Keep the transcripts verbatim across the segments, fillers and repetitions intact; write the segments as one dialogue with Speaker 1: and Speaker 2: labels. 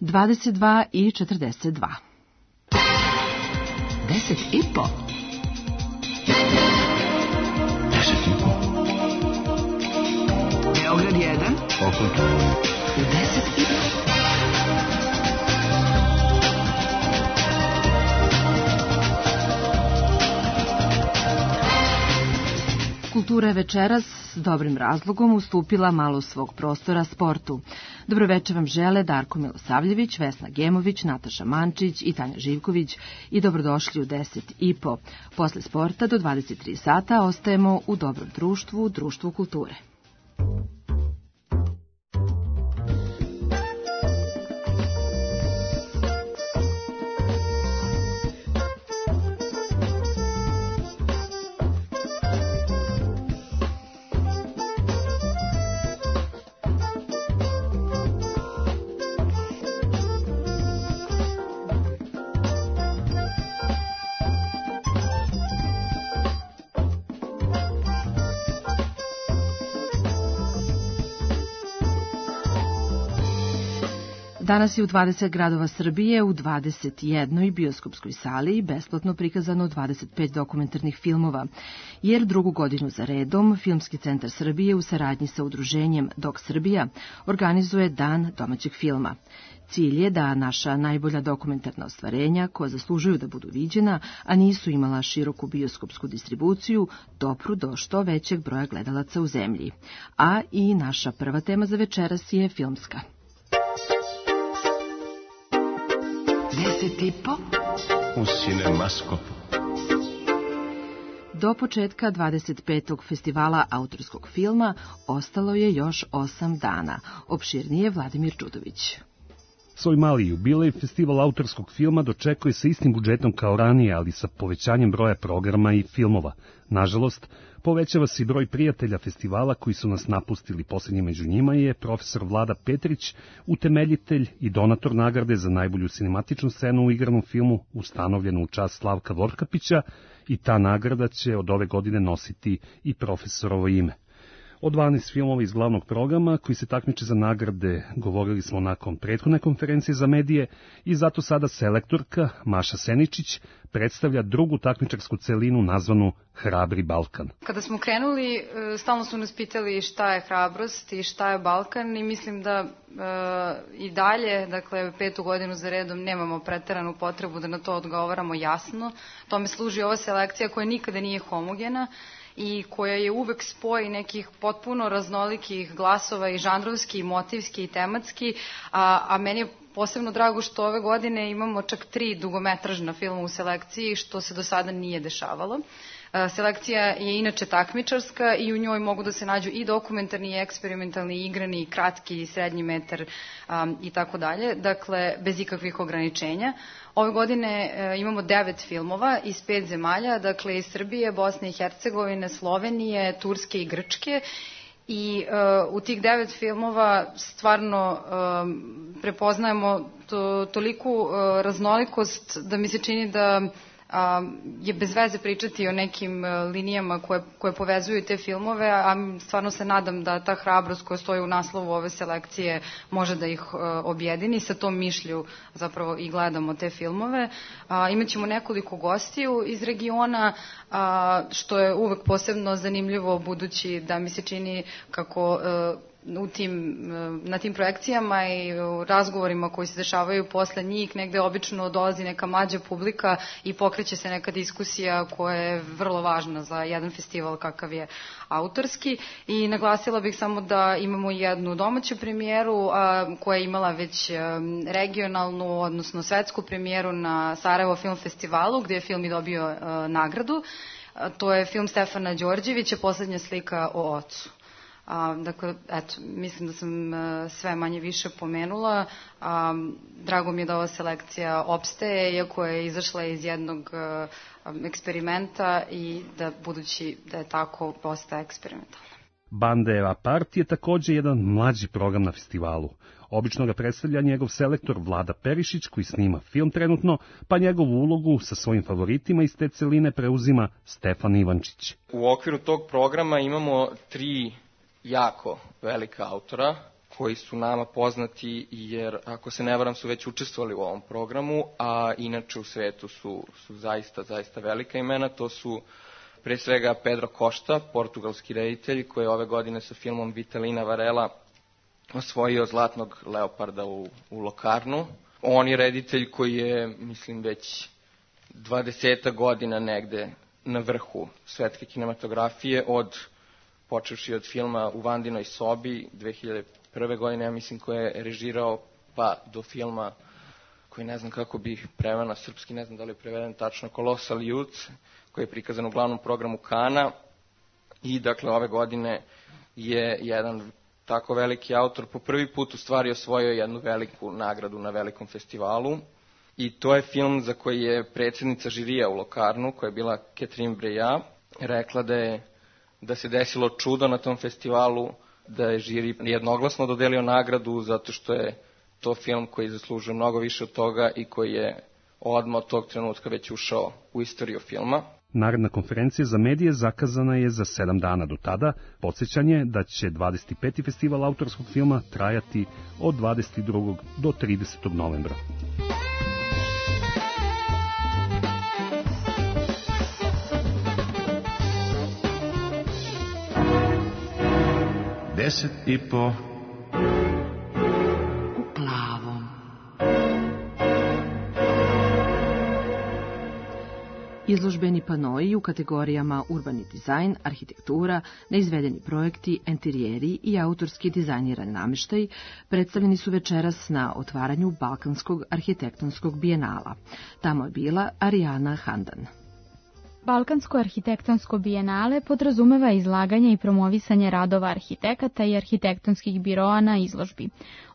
Speaker 1: dvadeset dva i četrdeset dva.
Speaker 2: Deset i po. Deset i po. Beograd jedan.
Speaker 3: Okud?
Speaker 2: Deset i po.
Speaker 1: Kultura je večeras s dobrim razlogom ustupila malo svog prostora sportu. Dobroveče vam žele Darko Milosavljević, Vesna Gemović, Nataša Mančić i Tanja Živković i dobrodošli u deset i po. Posle sporta do dvadeset tri sata ostajemo u dobrom društvu, društvu kulture. Danas je u dvadeset gradova Srbije u dvadeset jednoj bioskopskoj sali besplatno prikazano dvadeset pet dokumentarnih filmova, jer drugu godinu za redom Filmski centar Srbije u saradnji sa udruženjem Dok Srbija organizuje Dan domaćeg filma. Cilj je da naša najbolja dokumentarna ostvarenja, koja zaslužuju da budu viđena, a nisu imala široku bioskopsku distribuciju, dopru do što većeg broja gledalaca u zemlji. A i naša prva tema za večeras je filmska.
Speaker 2: Deset i po.
Speaker 3: U Cinemaskopu.
Speaker 1: Do početka dvadeset petog festivala autorskog filma ostalo je još osam dana. Opširnije Vladimir Čudović.
Speaker 4: Svoj mali jubilej festival autorskog filma dočekuje sa istim budžetom kao ranije, ali sa povećanjem broja programa i filmova. Nažalost, povećava se i broj prijatelja festivala koji su nas napustili. Poslednji među njima je profesor Vlada Petrić, utemeljitelj i donator nagrade za najbolju sinematičnu scenu u igranom filmu, ustanovljenu u čast Slavka Vorkapića, i ta nagrada će od ove godine nositi i profesorovo ime. O dvanaest filmova iz glavnog programa koji se takmiče za nagrade govorili smo nakon prethodne konferencije za medije i zato sada selektorka Maša Seničić predstavlja drugu takmičarsku celinu nazvanu Hrabri Balkan.
Speaker 5: Kada smo krenuli, stalno su nas pitali šta je hrabrost i šta je Balkan i mislim da e, i dalje, dakle petu godinu za redom, nemamo preteranu potrebu da na to odgovaramo jasno. Tome služi ova selekcija koja nikada nije homogena i koja je uvek spoj nekih potpuno raznolikih glasova i žanrovski, i motivski, i tematski, a, a meni je posebno drago što ove godine imamo čak tri dugometražna filma u selekciji, što se do sada nije dešavalo. Selekcija je inače takmičarska i u njoj mogu da se nađu i dokumentarni, i eksperimentalni, i igrani, i kratki, i srednji metar um, i tako dalje, dakle bez ikakvih ograničenja. Ove godine e, imamo devet filmova iz pet zemalja, dakle iz Srbije, Bosne i Hercegovine, Slovenije, Turske i Grčke. I uh, u tih devet filmova stvarno um, prepoznajemo to, toliku uh, raznolikost da mi se čini da a, je bez veze pričati o nekim linijama koje, koje povezuju te filmove, a stvarno se nadam da ta hrabrost koja stoji u naslovu ove selekcije može da ih a, objedini. Sa tom mišlju zapravo i gledamo te filmove. A, imaćemo nekoliko gostiju iz regiona, a, što je uvek posebno zanimljivo budući da mi se čini kako a, u tim, na tim projekcijama i u razgovorima koji se dešavaju posle njih, negde obično dolazi neka mlađa publika i pokreće se neka diskusija koja je vrlo važna za jedan festival kakav je autorski. I naglasila bih samo da imamo jednu domaću premijeru a, koja je imala već a, regionalnu, odnosno svetsku premijeru na Sarajevo Film Festivalu, gde je film i dobio a, nagradu. A, to je film Stefana Đorđevića, Poslednja slika o ocu. A, dakle, eto, mislim da sam a, sve manje više pomenula. A, drago mi je da ova selekcija opstaje, iako je izašla iz jednog a, eksperimenta i da, budući da je tako, postaje eksperimentalna.
Speaker 4: Bandera Part je takođe jedan mlađi program na festivalu. Obično ga predstavlja njegov selektor Vlada Perišić, koji snima film trenutno, pa njegovu ulogu sa svojim favoritima iz te celine preuzima Stefan Ivančić.
Speaker 6: U okviru tog programa imamo tri jako velika autora koji su nama poznati, jer ako se ne varam su već učestvovali u ovom programu, a inače u svetu su, su zaista, zaista velika imena. To su pre svega Pedro Costa, portugalski reditelj, koji je ove godine sa filmom Vitalina Varela osvojio Zlatnog leoparda u, u Locarnu. On je reditelj koji je, mislim, već dvadesetak godina negde na vrhu svetske kinematografije, od počevši od filma U Vandinoj sobi dve hiljade prve godine, ja mislim, koje je režirao, pa do filma koji ne znam kako bi preveo na srpski, ne znam da li je preveden tačno, Colossal Youth, koji je prikazan u glavnom programu Kana. I dakle ove godine je jedan tako veliki autor po prvi put u stvari osvojio jednu veliku nagradu na velikom festivalu. I to je film za koji je predsjednica žirija u Locarnu, koja je bila Catherine Breillat, rekla da je da se desilo čudo na tom festivalu, da je žiri jednoglasno dodelio nagradu zato što je to film koji zaslužuje mnogo više od toga i koji je odmah od tog trenutka već ušao u istoriju filma.
Speaker 4: Naredna konferencija za medije zakazana je za sedam dana do tada. Podsjećanje da će dvadeset peti festival autorskog filma trajati od dvadeset drugog do tridesetog novembra.
Speaker 3: Deset i po.
Speaker 2: U plavom.
Speaker 1: Izložbeni panoi u kategorijama urbani dizajn, arhitektura, neizvedeni projekti, enterijeri i autorski dizajniran namještaj predstavljeni su večeras na otvaranju Balkanskog arhitektonskog bijenala. Tamo je bila Arijana Handan.
Speaker 7: Balkansko arhitektonsko bijenale podrazumeva izlaganje i promovisanje radova arhitekata i arhitektonskih biroa na izložbi.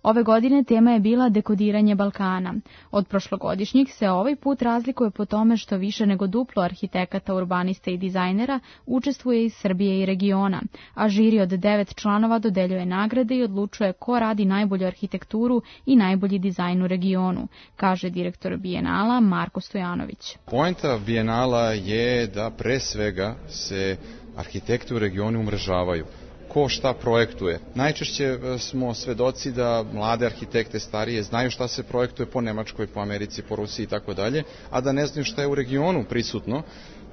Speaker 7: Ove godine tema je bila dekodiranje Balkana. Od prošlogodišnjih se ovaj put razlikuje po tome što više nego duplo arhitekata, urbanista i dizajnera učestvuje iz Srbije i regiona, a žiri od devet članova dodeljuje nagrade i odlučuje ko radi najbolju arhitekturu i najbolji dizajn u regionu, kaže direktor bijenala Marko Stojanović.
Speaker 8: Poenta bijenala je da pre svega se arhitekti u regionu umrežavaju. Ko šta projektuje. Najčešće smo svedoci da mlade arhitekte starije znaju šta se projektuje po Nemačkoj, po Americi, po Rusiji i tako dalje, a da ne znaju šta je u regionu prisutno.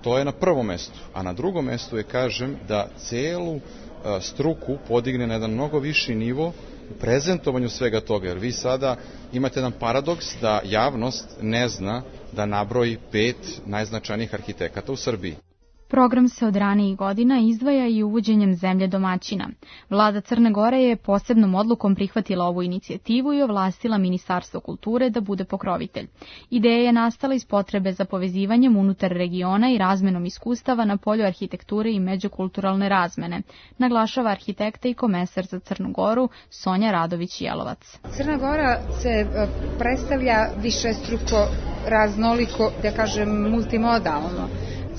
Speaker 8: To je na prvom mestu. A na drugom mestu je, kažem, da celu struku podigne na jedan mnogo viši nivo u prezentovanju svega toga. Jer vi sada imate jedan paradoks da javnost ne zna da nabroji pet najznačajnijih arhitekata u Srbiji.
Speaker 7: Program se od ranijih godina izdvaja i uvođenjem zemlje domaćina. Vlada Crne Gore je posebnom odlukom prihvatila ovu inicijativu i ovlastila Ministarstvo kulture da bude pokrovitelj. Ideja je nastala iz potrebe za povezivanjem unutar regiona i razmenom iskustava na polju arhitekture i međukulturalne razmene, naglašava arhitekta i komesar za Crnu Goru Sonja Radović-Jelovac.
Speaker 9: Crna Gora se predstavlja višestruko, raznoliko, da kažem multimodalno.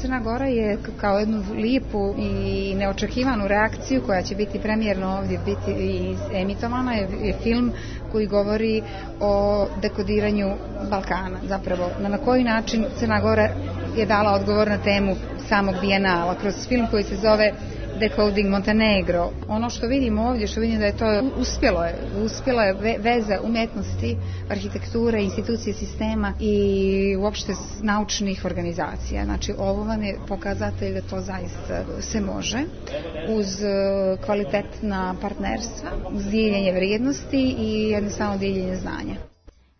Speaker 9: Crna Gora je kao jednu lijepu i neočekivanu reakciju koja će biti premijerno ovdje biti i emitovana je, je film koji govori o dekodiranju Balkana. Zapravo na koji način Crna Gora je dala odgovor na temu samog bijenala kroz film koji se zove Decoding Montenegro. Ono što vidimo ovdje, što vidim da je to uspjelo je, uspjela je veza umjetnosti, arhitekture, institucije sistema i uopšte naučnih organizacija. Znači ovo vam je pokazatelj da to zaista se može uz kvalitetna partnerstva, uz dijeljenje vrijednosti i jednostavno dijeljenje znanja.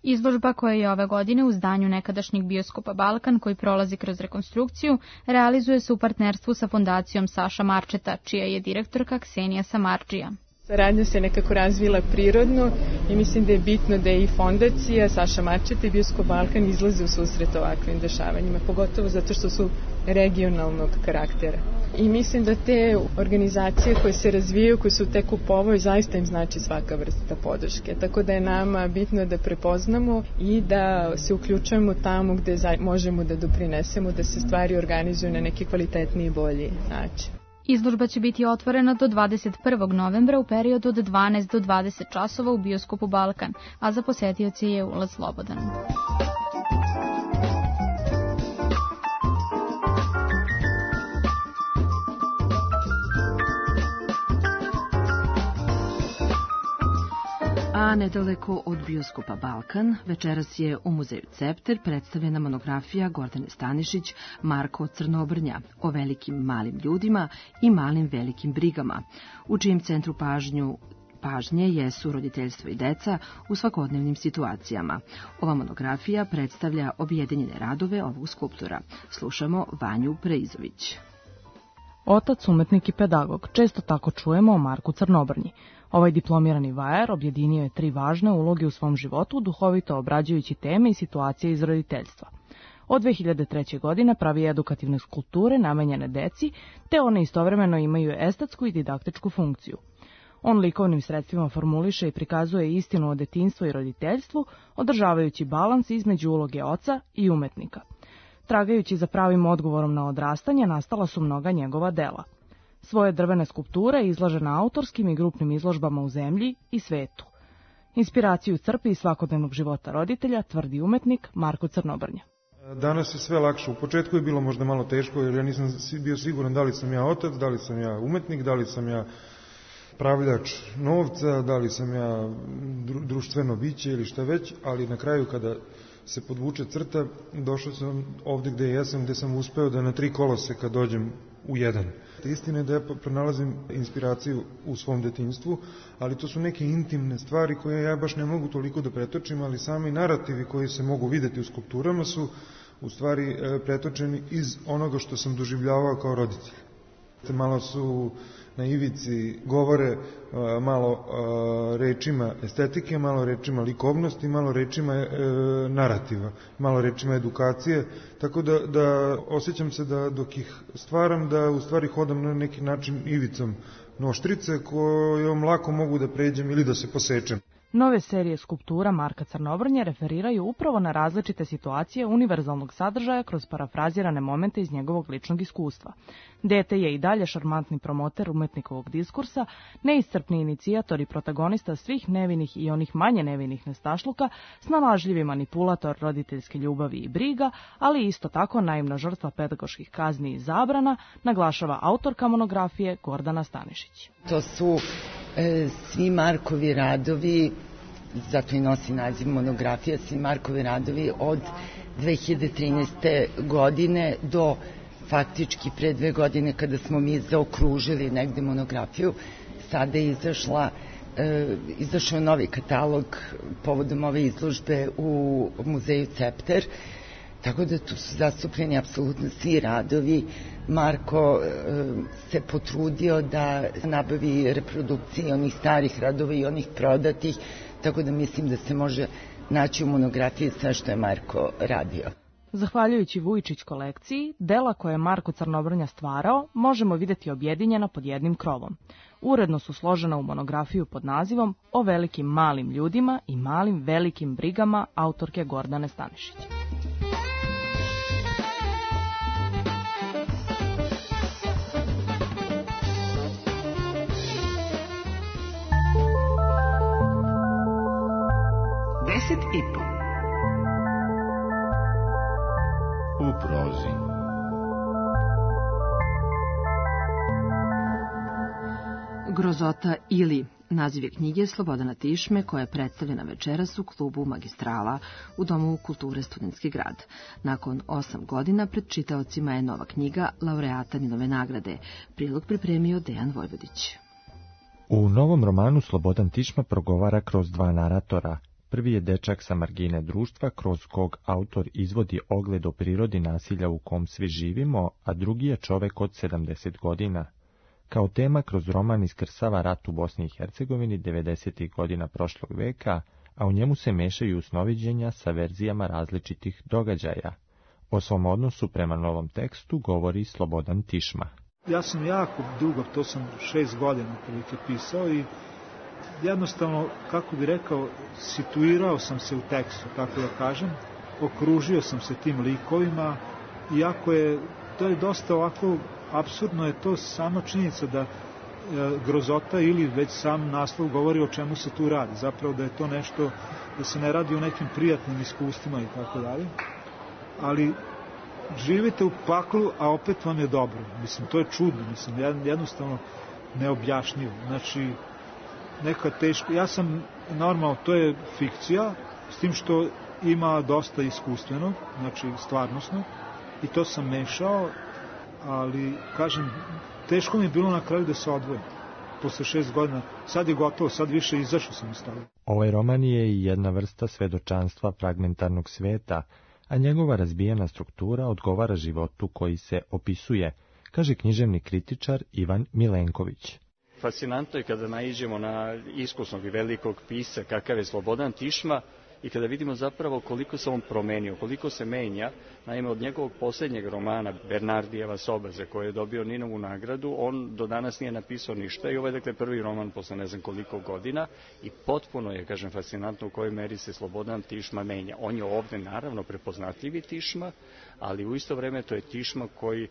Speaker 7: Izložba koja je ove godine u zdanju nekadašnjeg bioskopa Balkan, koji prolazi kroz rekonstrukciju, realizuje se u partnerstvu sa fondacijom Saša Marčeta, čija je direktorka Ksenija Samardžija.
Speaker 10: Saradnja se nekako razvila prirodno i mislim da je bitno da je i fondacija Saša Marčeta i Bioskop Balkan izlaze u susret ovakvim dešavanjima, pogotovo zato što su regionalnog karaktera. I mislim da te organizacije koje se razvijaju, koje su tek u povoj, zaista im znači svaka vrsta podrške. Tako da je nama bitno da prepoznamo i da se uključujemo tamo gde možemo da doprinesemo, da se stvari organizuju na neki kvalitetniji i bolji način.
Speaker 7: Izložba će biti otvorena do dvadeset prvog novembra u periodu od dvanaest do dvadeset časova u Bioskopu Balkan, a za posetioce je ulaz slobodan.
Speaker 1: A nedaleko od bioskopa Balkan, večeras je u muzeju Cepter predstavljena monografija Gordane Stanišić Marko Crnobrnja o velikim malim ljudima i malim velikim brigama, u čijem centru pažnju pažnje jesu roditeljstvo i deca u svakodnevnim situacijama. Ova monografija predstavlja objedinjene radove ovog skulptora. Slušamo Vanju Preizović.
Speaker 11: Otac, umetnik i pedagog, često tako čujemo o Marku Crnobrnji. Ovaj diplomirani vajar objedinio je tri važne uloge u svom životu, duhovito obrađujući teme i situacije iz roditeljstva. Od dve hiljade treće. godine pravi edukativne skulpture namenjene deci, te one istovremeno imaju estetsku i didaktičku funkciju. On likovnim sredstvima formuliše i prikazuje istinu o detinjstvu i roditeljstvu, održavajući balans između uloge oca i umetnika. Tragajući za pravim odgovorom na odrastanje, nastala su mnoga njegova dela. Svoje drvene skulpture izlaže na autorskim i grupnim izložbama u zemlji i svetu. Inspiraciju crpi iz svakodnevnog života roditelja, tvrdi umetnik Marko Crnobrnja.
Speaker 12: Danas je sve lakše. U početku je bilo možda malo teško, jer ja nisam bio siguran da li sam ja otac, da li sam ja umetnik, da li sam ja pravljač novca, da li sam ja društveno biće ili šta već, ali na kraju kada se podvuče crta, došao sam ovde gde jesam, gde sam uspeo da na tri koloseka dođem u jedan. Istina je da ja pronalazim inspiraciju u svom detinjstvu, ali to su neke intimne stvari koje ja baš ne mogu toliko da pretočim, ali sami narativi koji se mogu videti u skulpturama su u stvari pretočeni iz onoga što sam doživljavao kao roditelj. Malo su na ivici govore malo rečima estetike, malo rečima likovnosti, malo rečima narativa, malo rečima edukacije, tako da, da osjećam se da dok ih stvaram, da u stvari hodam na neki način ivicom noštrice kojom lako mogu da pređem ili da se posečem.
Speaker 11: Nove serije skulptura Marka Crnobrnje referiraju upravo na različite situacije univerzalnog sadržaja kroz parafrazirane momente iz njegovog ličnog iskustva. Dete je i dalje šarmantni promoter umetnikovog diskursa, neiscrpni inicijator i protagonista svih nevinih i onih manje nevinih nestašluka, snalažljivi manipulator roditeljske ljubavi i briga, ali isto tako naivna žrtva pedagoških kazni i zabrana, naglašava autorka monografije Gordana Stanišić.
Speaker 13: To su e, svi Markovi radovi, zato i nosi naziv monografija, svi Markovi radovi od dve hiljade trinaeste. godine do faktički pre dve godine kada smo mi zaokružili negde monografiju. Sada je izašla, e, izašao novi katalog povodom ove izložbe u muzeju Cepter, tako da tu su zastupljeni apsolutno svi radovi. Marko e, se potrudio da nabavi reprodukcije onih starih radova i onih prodatih, tako da mislim da se može naći u monografiji sve što je Marko radio.
Speaker 11: Zahvaljujući Vujičić kolekciji, dela koje je Marko Crnobrnja stvarao možemo vidjeti objedinjena pod jednim krovom. Uredno su složena u monografiju pod nazivom O velikim malim ljudima i malim velikim brigama autorke Gordane Stanišić.
Speaker 2: Deset i po.
Speaker 3: U prozi.
Speaker 1: Grozota ili naziv je knjige Slobodana Tišme koja je predstavljena večeras u klubu Magistrala u Domu kulture Studentski grad. Nakon osam godina pred čitaocima je nova knjiga laureata Ninove nagrade. Prilog pripremio Dejan Vojvodić.
Speaker 14: U novom romanu Slobodan Tišma progovara kroz dva naratora. Prvi je dečak sa margine društva, kroz kog autor izvodi ogled o prirodi nasilja u kom svi živimo, a drugi je čovek od sedamdeset godina. Kao tema kroz roman iskrsava rat u Bosni i Hercegovini devedesetih godina prošlog veka, a u njemu se mešaju snoviđenja sa verzijama različitih događaja. O svom odnosu prema novom tekstu govori Slobodan Tišma.
Speaker 15: Ja sam jako dugo, to sam šest godina prilike pisao i jednostavno, kako bi rekao, situirao sam se u tekstu, tako da kažem, okružio sam se tim likovima, iako je, to je dosta ovako, apsurdno je to sama činjenica da e, grozota ili već sam naslov govori o čemu se tu radi, zapravo da je to nešto, da se ne radi o nekim prijatnim iskustvima i tako dalje, ali živite u paklu, a opet vam je dobro, mislim, to je čudno, mislim, jednostavno neobjašnjivo, znači, neka teško. Ja sam normalno, to je fikcija, s tim što ima dosta iskustvenog, znači stvarnosnog, i to sam mešao, ali, kažem, teško mi je bilo na kraju da se odvojim. Posle šest godina, sad je gotovo, sad više izašao sam iz toga.
Speaker 14: Ovaj roman je i jedna vrsta svedočanstva fragmentarnog sveta, a njegova razbijena struktura odgovara životu koji se opisuje, kaže književni kritičar Ivan Milenković.
Speaker 16: Fascinantno je kada naiđemo na iskusnog i velikog pisca kakav je Slobodan Tišma i kada vidimo zapravo koliko se on promenio, koliko se menja. Naime, od njegovog posljednjeg romana Bernardijeva soba, za koje je dobio Ninovu nagradu, on do danas nije napisao ništa i ovo je dakle prvi roman posle ne znam koliko godina i potpuno je, kažem, fascinantno u kojoj meri se Slobodan Tišma menja. On je ovde naravno prepoznatljivi Tišma, ali u isto vreme to je Tišma koji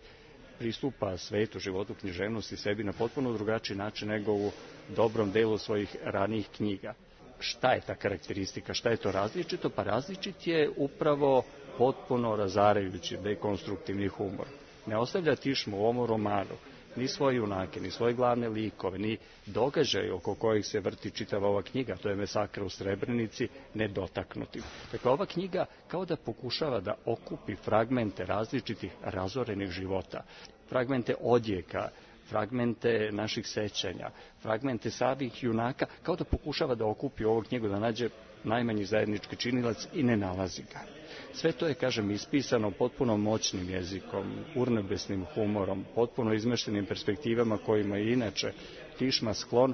Speaker 16: pristupa svetu, životu, književnosti, sebi na potpuno drugačiji način nego u dobrom delu svojih ranijih knjiga. Šta je ta karakteristika, šta je to različito? Pa različit je upravo potpuno razarajući dekonstruktivni humor. Ne ostavlja Tišmu u ovom romanu ni svoje junake, ni svoje glavne likove, ni događaje oko kojih se vrti čitava ova knjiga, to je Mesakra u Srebrenici, nedotaknutim. Dakle, ova knjiga kao da pokušava da okupi fragmente različitih razorenih života, fragmente odjeka, fragmente naših sećanja, fragmente samih junaka, kao da pokušava da okupi ovu knjigu, da nađe najmanji zajednički činilac i ne nalazi ga. Sve to je, kažem, ispisano potpuno moćnim jezikom, urnebesnim humorom, potpuno izmeštenim perspektivama kojima je inače Tišma sklon,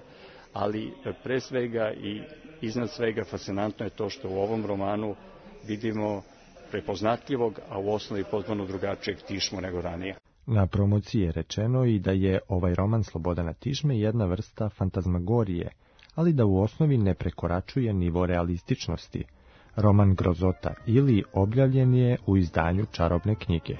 Speaker 16: ali pre svega i iznad svega fascinantno je to što u ovom romanu vidimo prepoznatljivog, a u osnovi potpuno drugačijeg Tišmu nego ranije.
Speaker 14: Na promociji je rečeno i da je ovaj roman Slobodana Tišme jedna vrsta fantazmagorije, ali da u osnovi ne prekoračuje nivo realističnosti. Roman Grozota ili objavljen je u izdanju Čarobne knjige.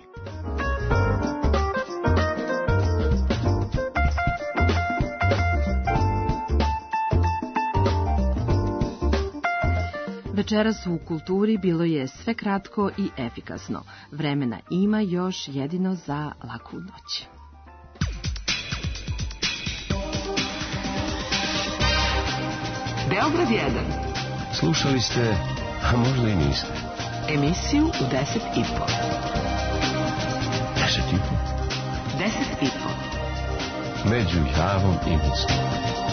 Speaker 1: Večeras u kulturi bilo je sve kratko i efikasno. Vremena ima još jedino za laku noć.
Speaker 2: Beograd jedan.
Speaker 17: Slušali ste, a možda i niste,
Speaker 2: emisiju u deset i po.
Speaker 17: Deset i po?
Speaker 2: Deset i po.
Speaker 17: Među Javom i Vicom.